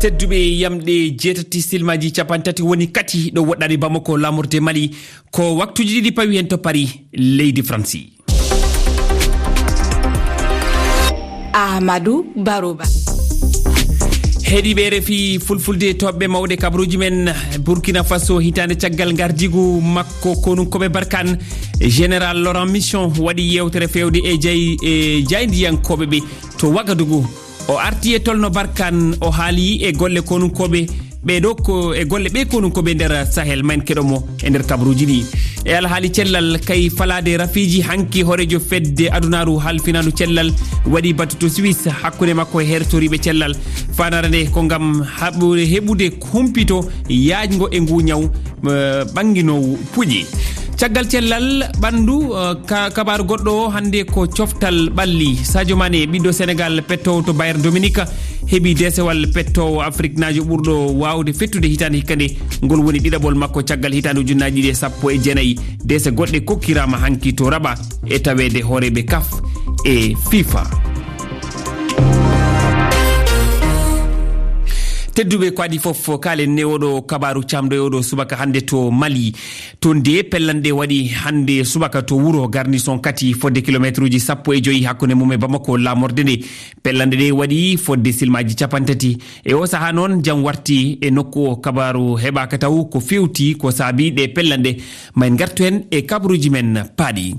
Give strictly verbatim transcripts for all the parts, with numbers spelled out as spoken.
Tedduɓe, yamɗe jeetati silmaaji cappanɗe tati woni kati ɗo woɗɗaani Bamako, laamorde Mali. Ko waktuuji ɗiɗi pawi heen to Paris, leydi Faransi. Ahmadou Baroba. Heɗiiɓe R F I Fulfulde, toɓɓe mawɗe kabaruuji men. Burkina Faso, hitaande caggal ngardiigu makko konunkooɓe Barkhane, Général Laurent Mission waɗi yeewtere feewde e jay-, e jaayndiyankooɓe ɓe to Wagadugu. O arti e tolno Barkhane, o haali e golle konunkooɓe ɓee ɗo ko e golle ɓee konunkooɓe nder Sahel. Ma en keɗo mo e nder kabaruuji ɗi. E alhaali cellal, kay falaade rafiiji, hanki hooreejo fedde adunaaru halfinaandu cellal waɗi batu to Suisse hakkunde makko e hertoriiɓe cellal. Faandaare nde ko ngam haɓu-, heɓude humpito yaajngo e nguu ñaw, eh, ɓannginoowu puƴe. Caggal cellal ɓanndu, eh, ka-, kabaaru goɗɗo o hannde ko coftal ɓalli. Sadio Mané, ɓiɗɗo Senegal, pettoowo to Bayern Dominique, heɓi deesewal pettoowo Afriknaajo ɓurɗo waawde fettude hitaande hikka nde. Ngol woni ɗiɗaɓol makko caggal hitaande ujunnaaji ɗiɗi e sappo e jeenayi. Deese goɗɗe kokkiraama hanki to Rabat e taweede hooreeɓe kaf e fifa. Tedduɓe, ko adii fof, kaalen e oɗo kabaaru caamɗo e oɗo subaka hannde to Mali. Toon de, pellanɗe waɗi hannde subaka to wuro Garnison Kati, fodde kilomeetruuji sappo e joy hakkunde mum e Bamako, laamorde nde. Pellanɗe ɗe waɗi fodde silmaaji cappanɗe tati. E oo sahaa noon, jam warti e nokku o, kabaaru heɓaaka taw ko feewti ko saabii ɗe pellanɗe. Ma en ngartu heen e kabaruuji men paaɗi.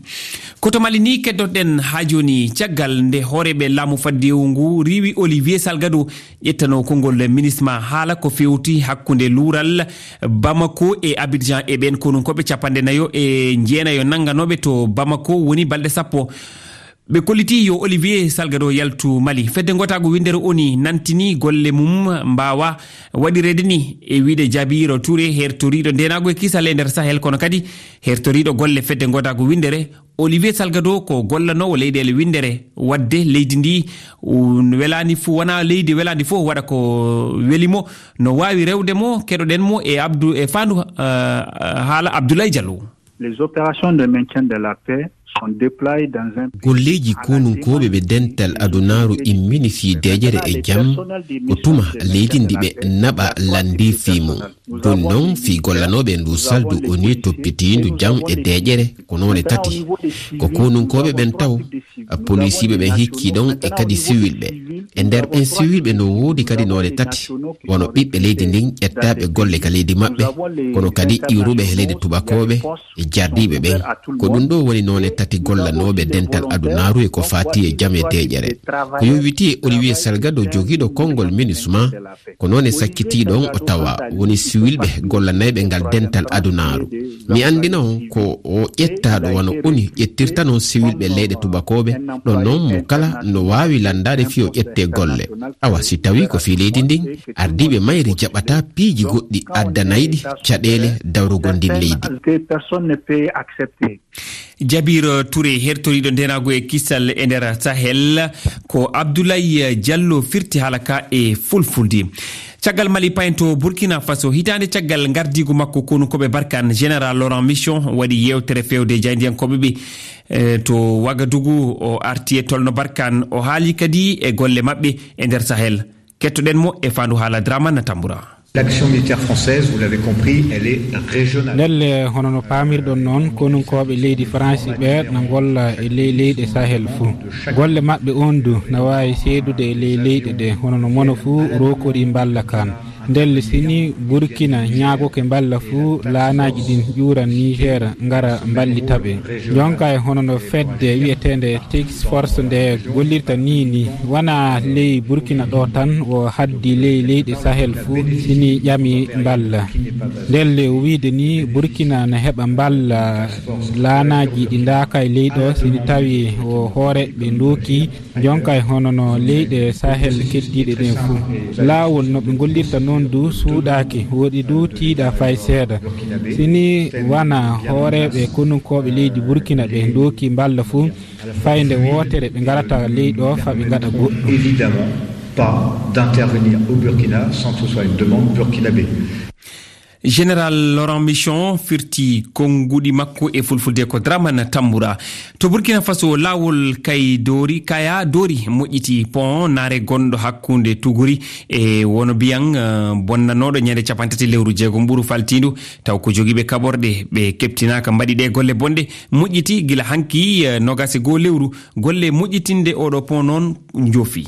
Ko to Mali ni keddotoɗen haa jooni, caggal nde hooreeɓe laamu faddewu ngu riiwi Olivier Salgado ƴettanoo konngol MINUSMA haala ko feewti hakkunde luural Bamako e Abidjan e ɓeen konunkooɓe cappanɗe nayo e jeenayo nannganooɓe to Bamako woni balɗe sappo. Ɓe kollitii yo Olivier Salgado yaltu Mali. Fedde ngootaagu winndere ONU nantini golle mum mbaawa waɗireede ni, e wiyde Jabiiro Touré, hertoriiɗo ndeenaagu e kisal e nder Sahel, kono kadi hertoriiɗo golle fedde ngootaagu winndere. Olivier Salgado ko gollanoowo leyɗeele winndere, waɗde leydi ndi, u-, welaani fof, wonaa leydi welaani fof waɗa ko weli mo. No waawi rewde mo, keɗoɗen mo e Abdou, e faandu, eh, haala Abdoulaye Diallo. Les opérations de maintien de la paix sont déployées dans un pays. Golleeji konunkooɓe ɓe dental adunaaru immini fii deeƴere e jam ko tuma leydi ndi ɓe naɓa lanndii fii mum. Jooni noon, fii gollanooɓe e ndu saldu ONU toppitiindu jam e deeƴere, ko noone tati. Ko konunkooɓe ɓen taw, polisiiɓe ɓen hikkii ɗon e kadi siwilɓe. E nder ɓen siwilɓe no woodi kadi noone tati, wano ɓiɓɓe leydi ndin ƴettaaɓe golle ka leydi maɓɓe, kono kadi iwruɓe he leyɗe tubakooɓe e jardiiɓe ɓen. Ko ɗum ɗo woni noone tati gollanooɓe dental adunaaru e ko faati e jam e deeƴere. Ko yowiti e Olivier Salgado, jogiiɗo konngol MINUSMA, ko noone sakkitii ɗon o tawa woni siwilɓe gollanayɓe ngal dental adunaaru. Mi anndina on ko o ƴettaaɗo wano ONU ƴettirta non siwilɓe leyɗe tubakooɓe, ɗon non mo kala no waawi lanndaade fii o ƴettee golle. Awa, si tawii ko fii leydi ndin, ardiiɓe mayri jaɓataa piiji goɗɗi addanayɗi caɗeele dawrugol ndin leydi. Jabiiro Touré, hertoriiɗo ndeenaagu e kisal e nder Sahel, ko Abdoulaye Diallo firti haala ka e fulfulde. Caggal Mali, payen to Burkina Faso, hitaande caggal ngardiigu makko konunkooɓe Barkhane, Général Laurent Mission waɗi yeewtere feewde jaayndiyankooɓe ɓe, eh, to Wagadugu. O arti e tolno Barkhane, o haali kadi e golle maɓɓe e nder Sahel. Kettoɗen mo e faandu haala Dramane Tambura. L'action militaire française, vous l'avez compris, elle est régionale. Ndelle, hono no paamirɗon noon, konunkooɓe leydi Faransi ɓe na ngolla e ley leyɗe Sahel fuu. Golle maɓɓe on du na waawi seedude e ley leyɗe ɗe, hono no mono fuu rokori mballa kan. Ndelle, si ni Burkina ñaagoke mballa fuu, laanaaji ɗin ƴuuran Niger, ngara mballita ɓe. Jonka e hono no fedde wi'eteende Task Force nde gollirta nii ni, wona ley Burkina ɗo tan, o haddi ley leyɗe Sahel fuu, si ni ƴami mballa. Ndelle, o wiide ni Burkina na heɓa mballa laanaaji ɗi ndaaka e ley ɗo, si ni tawi o hoore ɓe ndooki, jonka e hono no leyɗe Sahel keddiiɗe ɗen fuu. Laawol no ɓe ngollirta noon du suuɗaaki, woɗi du tiiɗa fay seeɗa. Si ni wona hooreeɓe konunkooɓe leydi Burkina ɓe ndooki mballa fuu, fayde wootere ɓe ngarata ley ɗo fa ɓe ngaɗa goɗɗum. Évidemment pas d'intervenir au Burkina sans que ce soit une demande burkinabé. Général Laurent Michon firti konnguɗi makko e fulfulde ko Dramane Tambura. To Burkina Faso, laawol Kay Dori, Kaya Dori moƴƴiti pont naare gonɗo hakkunde Tuguri e Wono Biyang, eh, bonnanooɗo ñande capanɗe tati lewru jeegom ɓuru faltiindu, taw ko jogiiɓe kaɓorɗe ɓe keɓtinaaka mbaɗi ɗe golle bonɗe, moƴƴiti gila hanki, eh, nogas e goo lewru. Golle moƴƴitinde oɗo pont noon njoofi.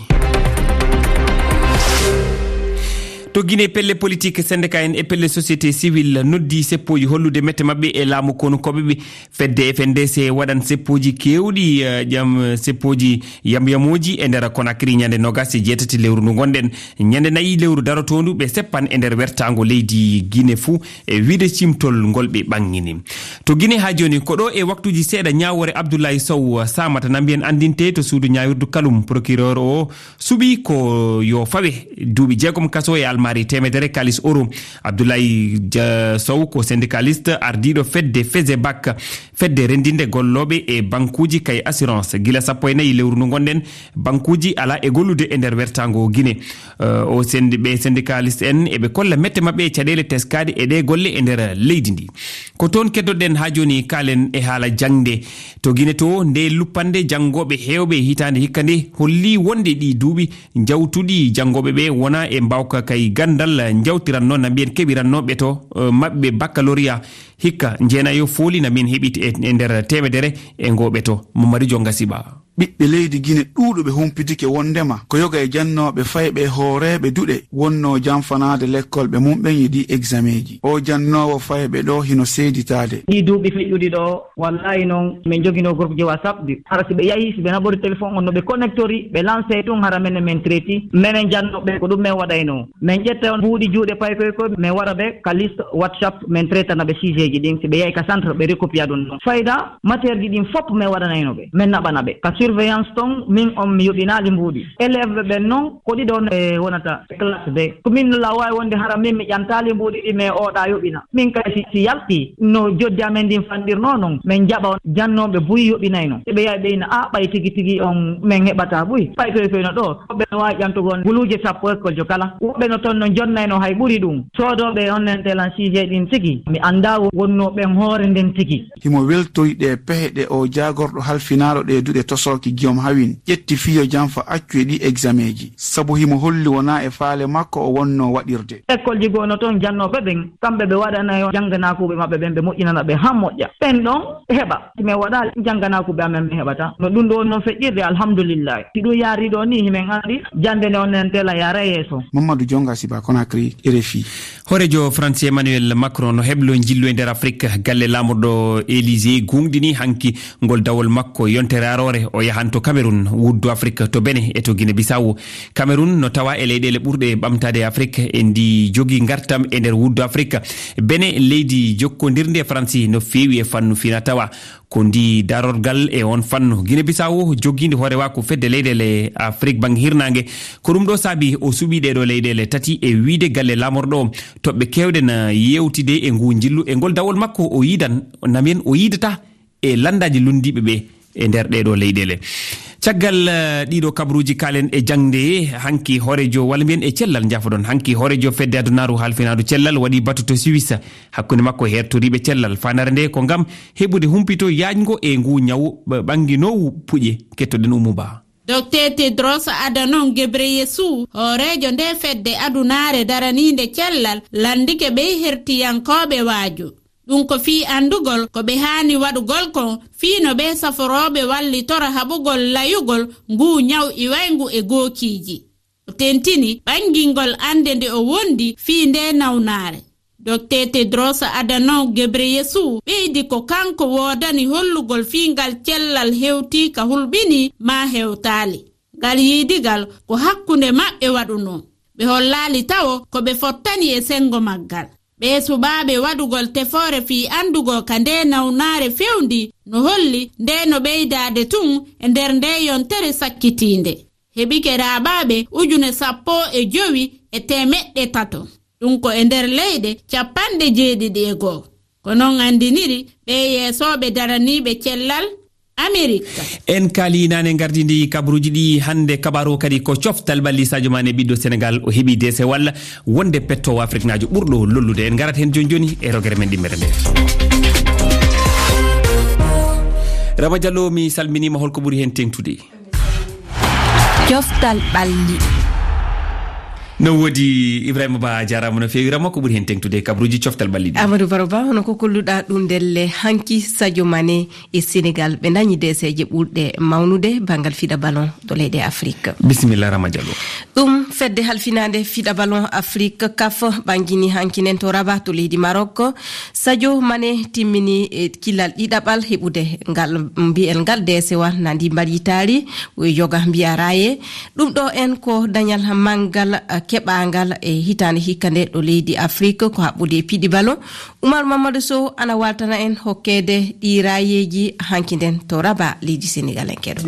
To Guinée, pelle politique, syndicat en e pelle société civile noddi seppooji hollude mette maɓɓe e laamu konu koɓe ɓe. Fedde F N D C waɗan seppooji keewɗi, eh, jam, seppooji yamyamooji e nder Conakry ñande nogas e jeetati lewru ndu ngonɗen. Ñande nayi lewru darotoondu ɓe seppan e nder wertaango leydi Guinée fuu e wiide cimtol ngol ɓe ɓangini. To Guinée haa jooni, ko ɗo e waktuuji seeɗa ñaawoore Abdoulaye Sow saamata na mbiyen anndinte to suudu ñaawirdu Kalum. Procureur o suɓi ko yo fawe duuɓi jeegom kaso e almaari teemedere kalis euro. Abdoulaye Ja-, Sow ko syndicaliste ardiiɗo fedde Fezebac, fedde renndinde gollooɓe e bankuuji kay assurance. Gila sappo e nayi lewru ndu ngonɗen, bankuuji alaa e gollude e nder wertaango Guinée. Eh, o sendi-, ɓe syndicaliste en eɓe kolla mette maɓɓe e caɗeele teskaaɗe e ɗee golle e nder leydi ndi. Ko toon keddoɗen haa jooni, kaalen e haala jaŋde. To Guinée to, nde luppande janngooɓe heewɓe hitaande hikka nde holli wonde ɗi duuɓi jawtuɗi janngooɓe ɓe wona e mbaawka kay ganndal njawtiranno na mbiyen keɓirannooɓe to, eh, maɓɓe baccalauréat hikka njeenayo fooli na min heɓiti e, e nder teemedere e ngoo ɓeto. Mamadou Jonga Siba. Ɓiɓɓe leydi Gine ɗuuɗuɓe humpitike wondema ko yoga e jannooɓe fayɓe e hooreeɓe duɗe wonnoo janfanaade lekkolɓe mumɓen e ɗii egzameeji. Oo jannoowo fayɓe ɗoo hino seeditaade. Ɗii duuɓi feƴƴuɗi ɗoo, wallaahi noon, min njoginoo groupe ji WhatsApp ɗi. Hara si ɓe yahii, si ɓe naɓori téléphone on, no ɓe connectori, ɓe lancé tun, hara menen min traiti. Menen jannooɓe, ko ɗum min waɗaynoo. Min ƴetta on buuɗi juuɗe paykoy koy, min wara ɓe ka liste WhatsApp, min traitana ɓe sujet ji ɗin. Si ɓe yahi ka centre, ɓe recopiya ɗum ɗon. Fayda, matière ji ɗin fof min waɗanayno ɓe, min naɓana ɓe. Ka surveillance ton, min on mi yoɓinaali mbuuɗi. Élève ɓe ɓen non, ko ɗiɗo on, eh, wonata e classe ɓe. Ko min la waawi wonde hara min mi ƴantaali mbuuɗi ɗi, mais oɗa yoɓina. Min kay si, si yalti no joddi amen ndin fanɗirnoo non, min jaɓa on jannooɓe buy yoɓinayno. Si ɓe yahi ɓe ina, "Ah, ɓay tigi tigi on min heɓata buy." Ɓay koy koy no ɗo, woɓɓe no waawi ƴantugol guluuje sappo école jo kala. Woɓɓe no ton no jonnayno hay ɓuri ɗum. Soodooɓe on nen telan sujet ɗin tigi, mi anndaa wo-, wonnoo ɓen hoore nden tigi. Himo weltoyi ɗe pehe ɗe oo jaagorɗo halfinaaɗo ɗe duɗe tosooki Guillaume Hawin ƴetti fii yo janfa accu e ɗi egzameeji, sabu himo holli wonaa e faale makko o wonnoo waɗirde. École ji goo no ton jannooɓe ɓen, kamɓe ɓe waɗanayo jannganaakuuɓe maɓɓe ɓen, ɓe moƴƴinana ɓe han moƴƴa. Ɓen ɗon heɓa, si min waɗaali jannganaakuuɓe amen min heɓata. No ɗum ɗo woni non feƴƴirde, alhamdulillahi. Si ɗum yaari ɗo ni, himin anndi jannde nde on nen tela yaara yeeso. Mamadou Jonga Siba, Conakry, R F I. Hooreejo France Emmanuel Macron no heblo njillu e nder Afrique. Galle laamorɗo Élysée guuŋɗini hanki ngol dawol makko yontere aroore. O yahan to Cameroun, wuddu Afrique, to Benin e to Guinée Bissau. Cameroun no tawa e leyɗeele ɓurɗe ɓamtaade e Afrique, e ndi jogi ngartam e nder wuddu Afrique. Benin, leydi jokkondirndi e Faransi no feewi e fannu fina tawa. Ko ndi darorgal e on fannu. Guinée Bissau jogiindi hoorewaaku fedde leyɗeele Afrique bannge hirnaange. Ko ɗum ɗo saabi o suɓii ɗee ɗoo leyɗeele tati e wiyde galle laamorɗo o. Toɓɓe keewɗe na yeewtide e nguu njillu e ngol dawol makko o yiidan, na mbiyen o yiidata e lanndaaji lunndiiɓe ɓe e nder ɗee ɗoo leyɗeele. Caggal, eh, ɗii ɗoo kabaruuji, kaalen e jaŋde. Hanki hooreejo, walla mbiyen e cellal, njafoɗon. Hanki hooreejo fedde adunaaru halfinaandu cellal waɗi batu to Suisse hakkunde makko e heertoriiɓe cellal. Faandaare nde ko ngam heɓude humpito yaajngo e nguu ñawu ɓ-, ɓannginoowu puƴe. Kettoɗen Umu Ba. Docteur Tedros Adhanom Ghebreyesus, hooreejo nde fedde adunaare daraniinde cellal, lanndike ɓee hertiyankooɓe waaju. Ɗum ko fii anndugol ko ɓe haani waɗugol kon fii no ɓee saforooɓe wallitora haɓugol layugol nguu ñaw iwayngu e gookiiji. O tentini ɓanngingol annde nde o wondi fii ndee nawnaare. Docteur Tedros Adhanom Ghebreyesus ɓeydi ko kanko woodani hollugol fii ngal cellal hewtii ka hulɓinii maa hewtaali. Ngal yiidigal ko hakkunde maɓɓe waɗunoo. Ɓe hollaali tawo ko ɓe fottani e senngo maggal. Ɓee suɓaaɓe waɗugol tefoore fii anndugol ka ndee nawnaare fewndii no holli ndee no ɓeydaade tun e nder ndee yontere sakkitiinde. Heɓike raaɓaaɓe ujune sappo e jowi e teemeɗɗe tato. Ɗum ko e nder leyɗe cappanɗe jeeɗiɗi e go'o. Ko non anndiniri ɓee yeesooɓe daraniiɓe cellal Amerik. En kaali naane ngardiindi kabaruuji ɗi hannde. Kabaaru o kadi ko coftal ɓalli Sadio Mané, ɓiɗɗo Senegal, o heɓi deesewal wonde pettoowo afriknaajo ɓurɗo lollude. En ngarat heen jooni jooni e rogere men ɗimmere nde. Rama Diallo, mi salminiima. Holko ɓuri heen teeŋtude? Coftal ɓalli. No woodi, Ibrahima Ba, a jaaraama no feewi. Rama, ko ɓuri heen teeŋtude e kabaruuji coftal ɓalli ɗi? Amadou Baro Ba, hono ko kolluɗaa ɗum ndelle, hanki Sadio Mané e Senegal ɓe ndañi deeseeje ɓurɗe mawnude banngal fiɗa ballon to leyɗe Afrik. Bisimilla, Rama Diallo. Ɗum fedde halfinaande fiɗa ballon Afrik, kaf, ɓanngini hanki nden to Rabat to leydi Marok. Sadio Mané timmini, e, kilal ɗiɗaɓal heɓude ngal, mbiyen ngal deesewal na ndi mbaɗi taari, yoga mbiya raaye. Ɗum ɗo en ko dañal manngal, eh, keɓaangal e hitaande hikka nde ɗo leydi Afrik ko haɓɓude e piɗi ballon. Oumar Mamadou Sow ana waaltana en hokkeede ɗi raayeeji hanki nden to Rabat leydi Senegal en keɗo.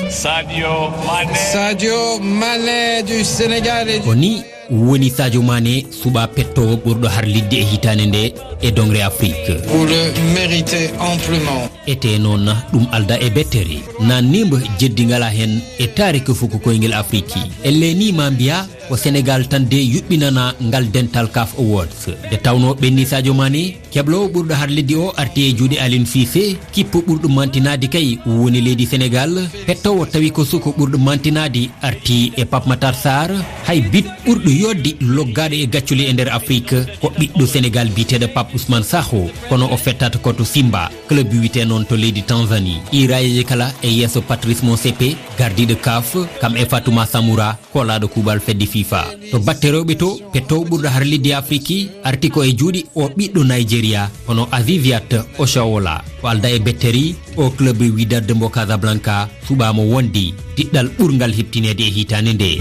Sadio Mané. Sadio Mané du Sénégal. Ko ni woni Sadio Mané suɓaa pettoowo ɓurɗo harlidde e hitaande nde e doŋre Afrik. Vous le méritez amplement. Etee noon ɗum alda e bettere. Na nimba jeddi ngala heen e taarika fuku koyngel Afrik. Elle ni ma mbiya ko Senegal tan de yuɓɓinana ngal dental kaf Awards. Nde tawnoo ɓenni Sadio Mané, kebloowo ɓurɗo harlidde o arti e juuɗe Aliou Cissé, kippo ɓurɗo mantinaade kay woni leydi Senegal, pettoowo tawi ko suko ɓurɗo mantinaade arti e Pape Matar Sarr, hay bit ɓurɗo yodde loggaaɗo e gaccule e nder Afrik, ko ɓiɗɗo Senegal biyeteeɗo Pape Ousmane Sakho, kono o fettata ko to Simba, club wiyetee noon to leydi Tanzanie. Ɗi raayeeji kala e yeeso Patrice Motsepe, gardiiɗo kaf, kam e Fatouma Samoura, koolaaɗo kuuɓal fedde fifa. To batte rewɓe to, pettoowo ɓurɗo harlidde Afrik arti ko e juuɗe o ɓiɗɗo Nigeria, hono Aziziat Oshoala. Ko alda e bettere, o club Wydad de Mbo Casablanca suɓaama wonde diɗɗal ɓurngal heɓtineede e hitaande nde.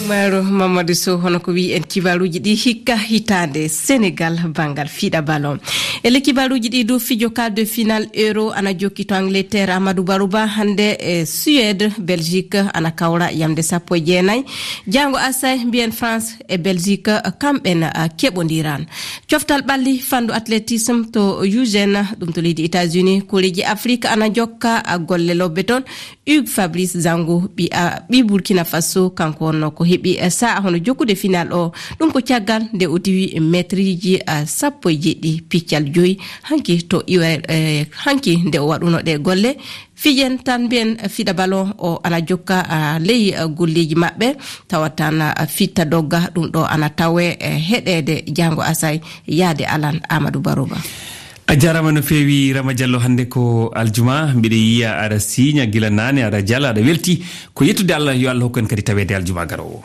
Umaru Mamadou Sow, hono ko wiyi en kibaaruuji ɗi hikka hitaande Senegal banngal fiɗa ballon. E le kibaaruuji ɗi du, fijo quart de finale Euro ana jokki to Angleterre, Amadou Barouba, hannde e Suède, Belgique ana kawra yamde sappo e jeenayi. Jaango asay mbiyen France e Belgique kamɓen, ah, keɓondiran. Coftal ɓalli fandu athlétisme to Eugène, ɗum to leydi États-Unis, koreeji Afrique ana jokka, ah, golle lobbe toon. Hugues Fabrice Zango, ɓi, a, ɓi Burkina Faso, kanko wonno ko heɓi, eh, sa'a hono jokkude final o. Ɗum ko caggal nde o diwi metriji, ah, sappo e jeɗɗi piccal joyi. Hanki to iwa, eh, hanki nde o waɗuno ɗe golle. Fijen tan mbiyen, eh, fiɗa ballon o ana jokka, ah, ley, ah, golleji maɓɓe. Tawa tan, ah, fitta dogga ɗum ɗo ana tawe, eh, heɗede jango asay yaade alan Amadou Barouba. A jaaraama no feewi, Rama Diallo. Hannde ko aljuma, mbiɗa yiya aɗa siiña gila naane, aɗa jala, aɗa welti. Ko yettude Allah, yo Allah hokku en kadi taweede aljuma garoowo.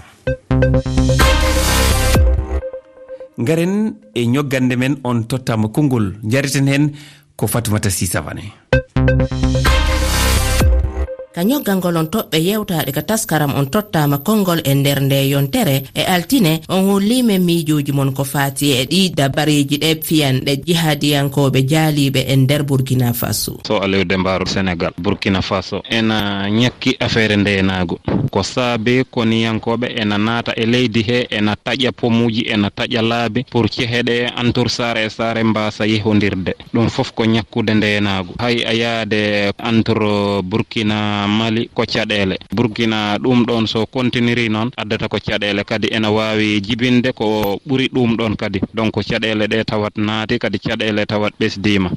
Ngaren e ñoggande men, on tottaama konngol, njareten heen ko Fatoumata Sy Savané. Ka ñoggangol on toɓɓe yewtaaɗe ka taskaram on tottaama konngol e nder nde yontere e altine, on holli men miijooji mon ko faati e ɗi dabareeji ɗe fiyanɗe jihadiyankooɓe jaaliiɓe e nder Burkina Faso. So Aliou Demba Senegal, Burkina Faso ena ñakki afeere ndeenaagu. Ko saabe koniyankooɓe ena naata e leydi he, ena taƴa pomuuji, ena taƴa laabi pour cehe ɗe entre saare e saare mbaasa yehondirde. Ɗum fof ko ñakkude ndeenaagu. Hay a yaade entre Burkina, Mali ko caɗeele. Burkina ɗum ɗoon so kontiniri noon addata ko caɗeele, kadi ena waawi jibinde ko ɓuri ɗum ɗoon kadi. Donc caɗeele ɗe tawat naati, kadi caɗeele tawat ɓesdiima.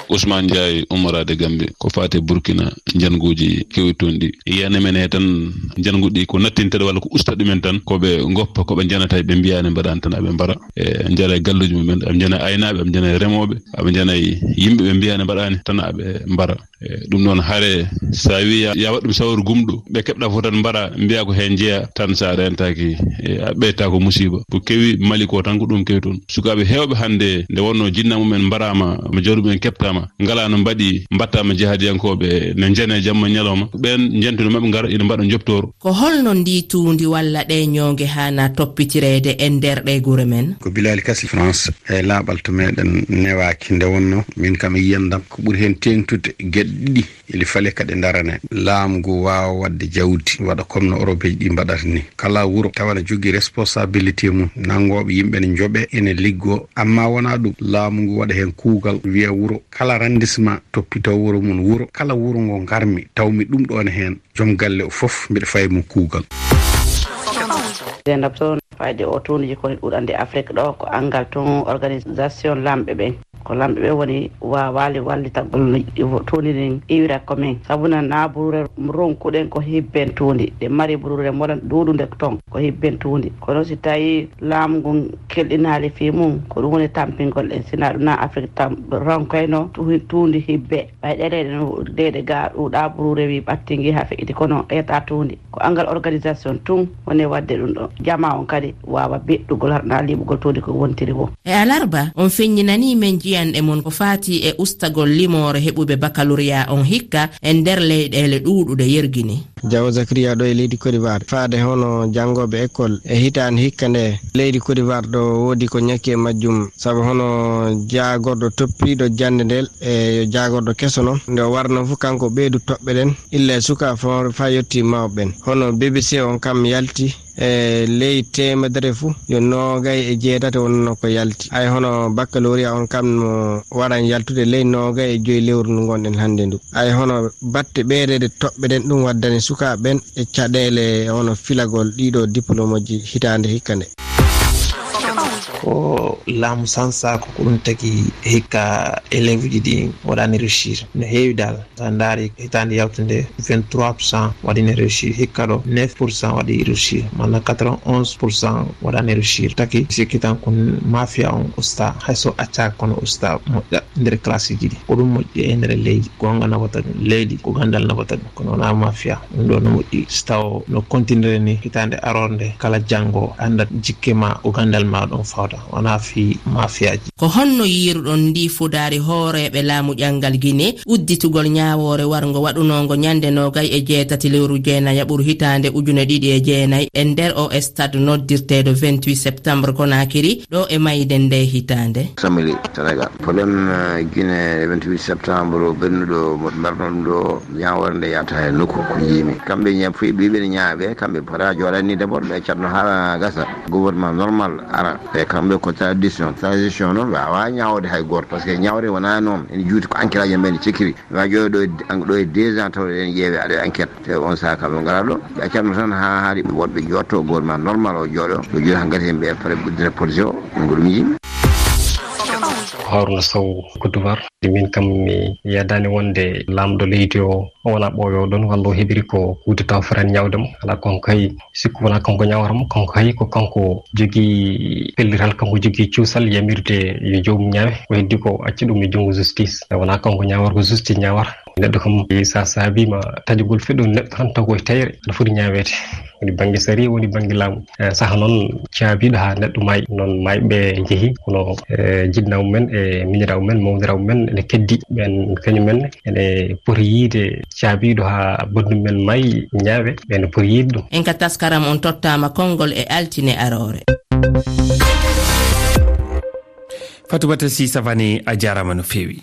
Ousmane Ndiaye, ummoraade Gambie, ko faati e Burkina, njannguuji kewi toon ɗi. Yiyande men he tan, njannguɗi ko nattinteɗe walla ko usta ɗumen tan, ko ɓe ngoppa, ko ɓe njanata, ɓe mbiyaani mbaɗaani tan aɓe mbara. E, njara e galluuji mumen, aɓe njana e aynaaɓe, aɓe njana e remooɓe, aɓe njana e yimɓe ɓe mbiyaani mbaɗaani tan aɓe mbara. E, ɗum noon hare, so a wii ya, ya waɗ ɗum sawru gumɗo, ɓe keɓɗa fof tan mbara, mbiya ko heen njeya, tan so a rentaaki, e, a ɓeyta ko musiba. Ko kewi Mali ko tan ko ɗum kewi toon. Sukaaɓe heewɓe hannde, nde wonnoo jinna mumen mbaraama, ma jawdi mumen keɓtaama, ngalaa no mbaɗi, mbaɗtaama jihadiyankooɓe, ne njana e jamma ñalawma. Ɓeen njentude maɓɓe ngara, ina mbaɗa njoptoor. Ko holno ndi tuundi walla ɗe ñoonge haana toppitireede e nder ɗe gure men? Ko Bilali Kasi, France, e laaɓal to meɗen newaaki nde wonnoo. Min kam e yiyandam, ko ɓuri heen teeŋtude geɗe ɗiɗi. Eli fale ka ɗe ndarane. Laamu ngu waawa waɗde jawdi, waɗa comme no Europeeji ɗi mbaɗata ni. Kala wuro tawa ne jogii responsabilité mum, nanngooɓe yimɓe ne njoɓe, ene liggoo. Amma wonaa ɗum, laamu ngu waɗa heen kuugal, wiya wuro kala arrondissement toppitoo wuro mum. Wuro kala wuro ngo ngarmi, taw mi ɗum ɗoon heen, joom galle o fof mbiɗa fayi mo kuugal. Zeynab Sow, fayde o tuuniji ko ɗuɗande Afrique ɗo, ko anngal tun organisation lamɓe ɓen. Ko lamɓe ɓen woni waawaali wallitagol no tuundi ndin iwira ko men. Sabu na, na buruure ronkuɗen ko hibben tuundi. Ɗe mari buruure moɗon ɗuuɗunde ton ko hibben tuundi. Kono si tawi laamu ngun kelɗinaali fii mum, ko ɗum woni tampingol en. Sina ɗum na Afrique tam ronkoyno tu-, tuundi hibbe. Ɓay ɗeɗe ɗen, ɗeɗe ga ɗuuɗa buruure wi ɓattingi ha feƴƴiti, kono ƴetta tuundi. Ko anngal organisation tun woni waɗde ɗum ɗo. Jama on kadi waawa beɗɗugol harɗa liɓugol tuundi ko wontiri wo. E alarba, on feññinanii men jiyanɗe mon ko faati e ustagol limoore heɓuɓe baccalauréat on hikka e nder leyɗeele ɗuuɗuɗe yergini. Jawo Zakariya ɗo e leydi Côte d'Ivoire. Faade hono janngooɓe école e hitaande hikka nde, leydi Côte d'Ivoire ɗo woodi ko ñakki e majjum. Sabu hono jaagorɗo toppiiɗo jannde ndel e yo jaagorɗo keso noon, nde o warno fof kanko ɓeydu toɓɓe ɗen, illa e suka fo-, faa yotti mawɓe ɓen. Hono B B C on kam yalti e ley teemedere fof, yo noogay e jeetati wonno ko yalti. Ay hono baccalauréat on kam no waran yaltude ley noogay e joyi lewru ndu ngonɗen hannde ndu. Ay hono batte ɓeydeede toɓɓe ɗen, ɗum waddani sukaaɓe ɓen e caɗeele hono filagol ɗiɗo diplôme ji hitaande hikka nde. Ko laamu sansa ko, ko ɗum tagi hikka élève ji ɗi waɗani réussir. No heewi dal. Sa ndaari hitaande yawtunde, vingt-trois pour cent waɗi ne réussir. Hikka ɗo, neuf pour cent waɗi réussir. Mana quatre-vingt-onze pour cent waɗani réussir. Taki sikki tan ko mafia on usta. Hay so accaaka kono usta moƴƴa nder classe ji ɗi. Ko ɗum moƴƴi e nder leydi. Goonga nafata ɗum. Leydi ko gandal nafata ɗum. Kono wonaa mafia. Ɗum ɗo no moƴƴi. Si taw no continuer ni hitaande aroore nde, kala janngo anndat jikke ma ko gandal ma ɗon fawta. Wonaa fii mafia ji. Ko honno yiiruɗon ndii fudaari hooreeɓe laamu ƴanngal Gine udditugol ñaawoore warngo waɗunoongo ñande noogay e jeetati lewru jeenayaɓuru hitaande ujune ɗiɗi e jeenay e nder o stade noddirteeɗo vingt-huit septembre Conakry ɗo e mayde nde hitaande? Samili Sénégal. Problème, euh, Guinée vingt-huit septembre ɓennuɗo mo mbarno ɗum ɗo ñaawoore nde yata e nokku ko jiimi. Kamɓe ña-, fuɗi ɓe ɓe ñaawe, kamɓe pota jooɗani d'abord ɓe catno haa gasa. Gouvernement normal ara. E kamɓe ko tradition. Tradition noon waawa ñaawde hay gooto. Parce que ñaawde wonaa noon. Ene juuti ko enquête aji men cikkiri. Wa jooɗo ɗo e, ɗo e deux ans taw en ƴeewe aɗa enquête. Te on saaha kamɓe ngara ɗo. Ɓe accatno tan haa haari woɗɓe jooɗto gouvernement normal o jooɗo. Ɓe jooɗi haa ngati heen ɓe pare ɓuddita police o. Ɗum ko ɗum yimɓe. Haruna Sow, Côte d'Ivoire. Min kam mi yadani wonde laamɗo leydi o, o wona ɓooyo ɗon, walla o heɓiri ko coup d'État o fotani ñaawde mo. Alaa, kanko kay, sikku wona kanko ñaawata mo, kanko kay ko kanko jogii pellital, kanko jogii cuusal yamirde yo joomum ñaawe. Ko heddi ko acca ɗum e junngo justice. Wona kanko ñaawata, ko justice ñaawata. Neɗɗo kam, sa saabiima taƴugol feɗɗo neɗɗo tan taw ko e tayre, aɗa foti ñaaweede. Woni bannge sariya, woni bannge laamu. Eh, saha noon caabiiɗo haa neɗɗo maayi. Noon maayɓe njehi, kono, eh, jinnaaɓe mumen e miñiraaɓe mumen, mawniraaɓe mumen ene keddi. Ɓeen kañum en ene poti yiyde caabiiɗo haa banndum men maayi ñaawe, ɓeen ene poti yiyde ɗum. En ka taskaram on tottaama konngol e altine aroore. Fatoumata Sy Savané, a jaaraama no feewi.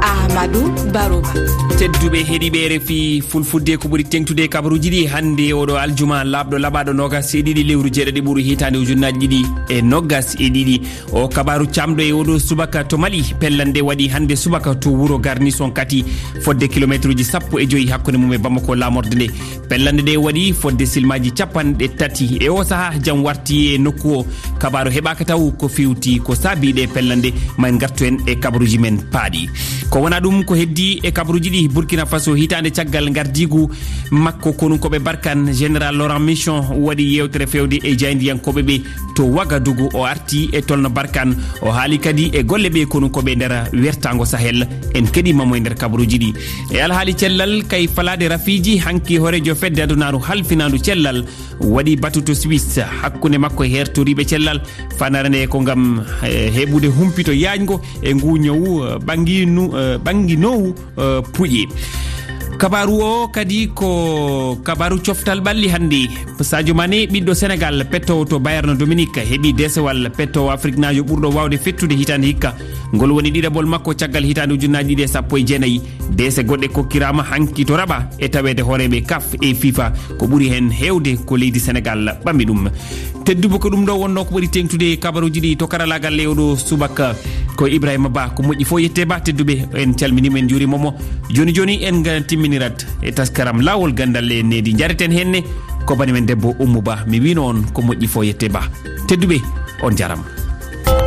Ahmadou Barouba. Tedduɓe heɗiiɓe R F I Fulfulde, ko ɓuri teŋtude e kabaruuji ɗi hannde oɗo aljuma laaɓɗo laɓaaɗo noogas e ɗiɗi lewru jeeɗiɗi ɓuru hitaande ujunnaaji ɗiɗi e noogas e ɗiɗi. O kabaaru caamɗo e oɗo subaka to Mali, pellande waɗi hannde subaka to wuro Garnison Kati, fodde kilomeetruuji sappo e joyi hakkunde mum e Bamako laamorde nde. Pellande ɗe waɗi fodde silmaaji capanɗe tati. E o sahaa, jam warti e nokku o. Kabaaru heɓaaka taw ko fewti ko saabi ɗe pellande. Ma en ngartu en e kabaruuji men paaɗi. Ko wona ɗum ko heddi e kabaruuji ɗi, Burkina Faso, hitaande caggal ngardiigu makko konunkooɓe Barkan, Général Laurent Mission waɗi yeewtere feewde e jaayndiyankooɓe ɓe to Wagadugu. O arti e tolno Barkan, o haali kadi e golle ɓe konunkooɓe nder wertaango Sahel. En keɗiima mo e nder kabaruuji ɗi. E alhaali cellal, kay falaade rafiiji, hanki hooreejo fedde adunaaru halfinaandu cellal waɗi batu to Suisse hakkunde makko e heertoriiɓe cellal. Fanare nde ko ngam, eh, heɓude humpito yaajngo e ngu ñawu, eh, ɓannginu-, eh, ɓannginoowu, eh, puƴe. Kabaaru o kadi ko kabaaru coftal ɓalli hannde. Sadio Mané, ɓiɗɗo Senegal, pettoowo to Bayern Dominique, heɓi deesewal pettoowo Afriknaajo ɓurɗo waawde fettude hitaande hikka. Ngol woni ɗiɗaɓol makko caggal hitaande ujunnaji ɗiɗi e sappo e jeenayi. Deese goɗɗe kokkiraama hanki to Rabat e taweede hooreeɓe kaf e fifa. Ko ɓuri heen heewde ko leydi Senegal ɓammi ɗum. Tedduɓe, ko ɗum ɗo wonnoo ko ɓuri teeŋtude kabaruuji ɗi to karalaagal e oɗo subaka. Ko Ibrahima Ba, ko moƴƴi fof yette Ba, tedduɓe, en calminiima, en njuuriima mo. Jooni jooni en ga-, timminirat e taskaram Laawol Ganndal e Needi. Njareten heen ne ko bani men debbo Ummu Ba. Mi wiino on ko moƴƴi fof yette Ba. Tedduɓe, on njaaraama.